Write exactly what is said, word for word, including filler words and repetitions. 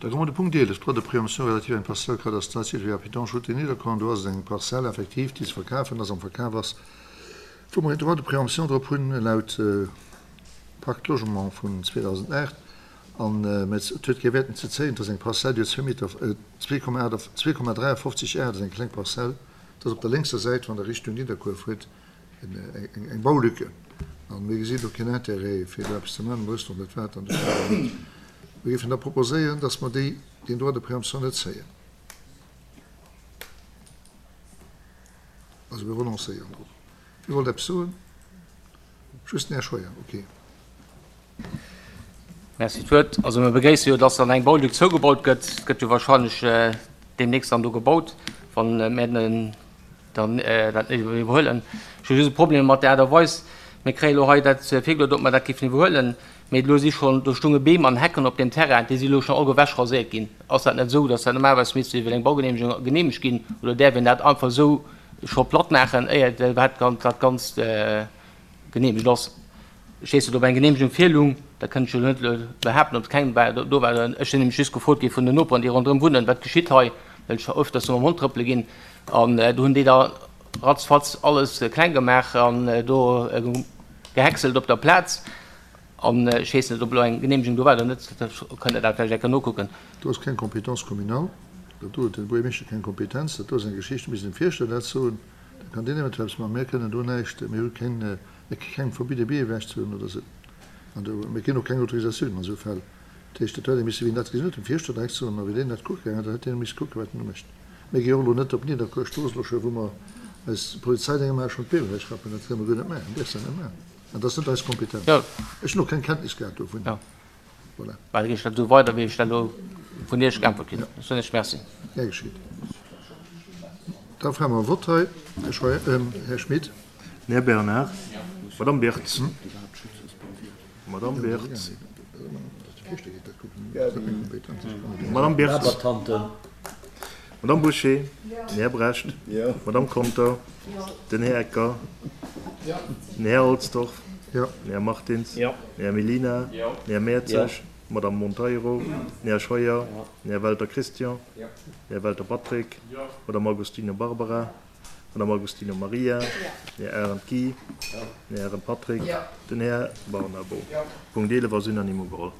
Da komme mer de Punkt eelef, Droit de préemption relatif à une parcelle cadastrale située à Pétange, route de Niederkorn. Do ass et eng Parzell effektiv, déi ze verkafen ass, am Verkaf ass, wou mer een Droit de préemption drop hunn laut Pacte Logement vun zweedausendacht. An, mä et huet kee Wäert en ze zéien. Et ass eng Parzell, déi huet zwee Meter, zwee Komma aacht, zwee Komma dräiafofzeg Ar, dat ass eng kleng Parzell. Dat ass op der lénkser Säit, wann Der Richtung Nidderkuer fuert, eng Baulücke. An mir gesinn do keen Intérêt, fir do eppes ze maachen. Mir wëssen och net, wat an de Stau ass. Mir géifen da proposéieren, dass mer déi, deen Droit de préemption net zéien. Also mir renoncéieren drop. Wie wollt eppes soen? Just den Här Scheuer, okay. Merci d'Wuert. Also mir begréisse jo, dass dann eng Baulück zougebaut gëtt. Et gëtt jo wahrscheinlech deemnächst dann do gebaut, wann mir dann dat net iwwerhuelen. Ech hu just e Problem mat der Aart a Weis. Mir kréie lo hei dat virgeluet, ob mer dat géifen iwwerhuelen. Mee elo si schonn, do stounge Beem an Hecken op deem Terrain, déi si elo schonn all ewech raséiert ginn. Ass dat net esou, dass dat normalerweis misst iwwer eng Baugeneemegung geneemegt ginn? Oder däerf een dat einfach esou scho platt maachen, éier iwwerhaapt dat Ganzt geneemegt ass? Ech weess net, ob eng Geneemegung virlung, dat kënnt ech elo net behaapten, ob keng war, do war. Ech sinn nämlech just gefrot gi vun den Noperen, déi ronderëm wunnen, wat geschitt hei, well ech öfters do mam Hond trëppele ginn. An do hunn déi da ratzfatz alles kleng gemaach an do gehäckselt op der Plaz. An ech weess net, ob elo eng Geneemegung do war oder net. Da kënnt Der dat vläicht eng Kéier nokucken. Do ass keng Compétence communale. Dat do huet den Buergermeeschter keng Kompetenz. Dat do ass eng Geschicht, do misst een dem Fierschter dat soen. Da kann deen eventuell eppes maachen. Mir kënnen do näischt, mir hu keng, mir kréie keng verbidde Bee ewechzehuelen oder esou. An do, mir kréien och keng Autorisatioun an esou Fäll. Dat heescht, dat hätt ee misse, wien dat gesinn huet, dem Fierschter direkt soen. A wéi deen dat kucke gaangen ass, da hätt deen misse kucken, wat en do mécht. Mir gi och elo net op Nidderkuer-Strooss elo scho, wou mer eis Polizeidénger maache schonn d'Beem ewechrappen. Dat kënne mer guer net maachen, däerfs dat net maachen. An dat ass net eis Kompetenz. Ech hunn och keng Kenntnis gehat dovun. Voilà. Well da ginn ech dat esou weider, wéi ech dat elo vun Iech geäntwert kritt hunn. Da soen ech Merci. Gär geschitt. Da froe mer e Vott hei. Här Scheuer, Här Schmit. Den Här Bernard. Madamm Birtz. Madamm Birtz. Madamm Birtz. Madamm Bouché. Den Här Brecht. Madamm Conter. Den Här Ecker. Den Här Halsdorf. Den Här Martins. Den Här Mellina. Den Här Mertzig. D'Madamm Monteiro. Den Här Scheuer. Den Här Welter Christian. Den Här Welter Patrick. D'Madamm Agostino Barbara. D'Madamm Agostino Maria. Den Här Arendt Guy. Den Här Arendt Patrick. Den Här Barnabo. Punkt eelef ass unanime ugeholl.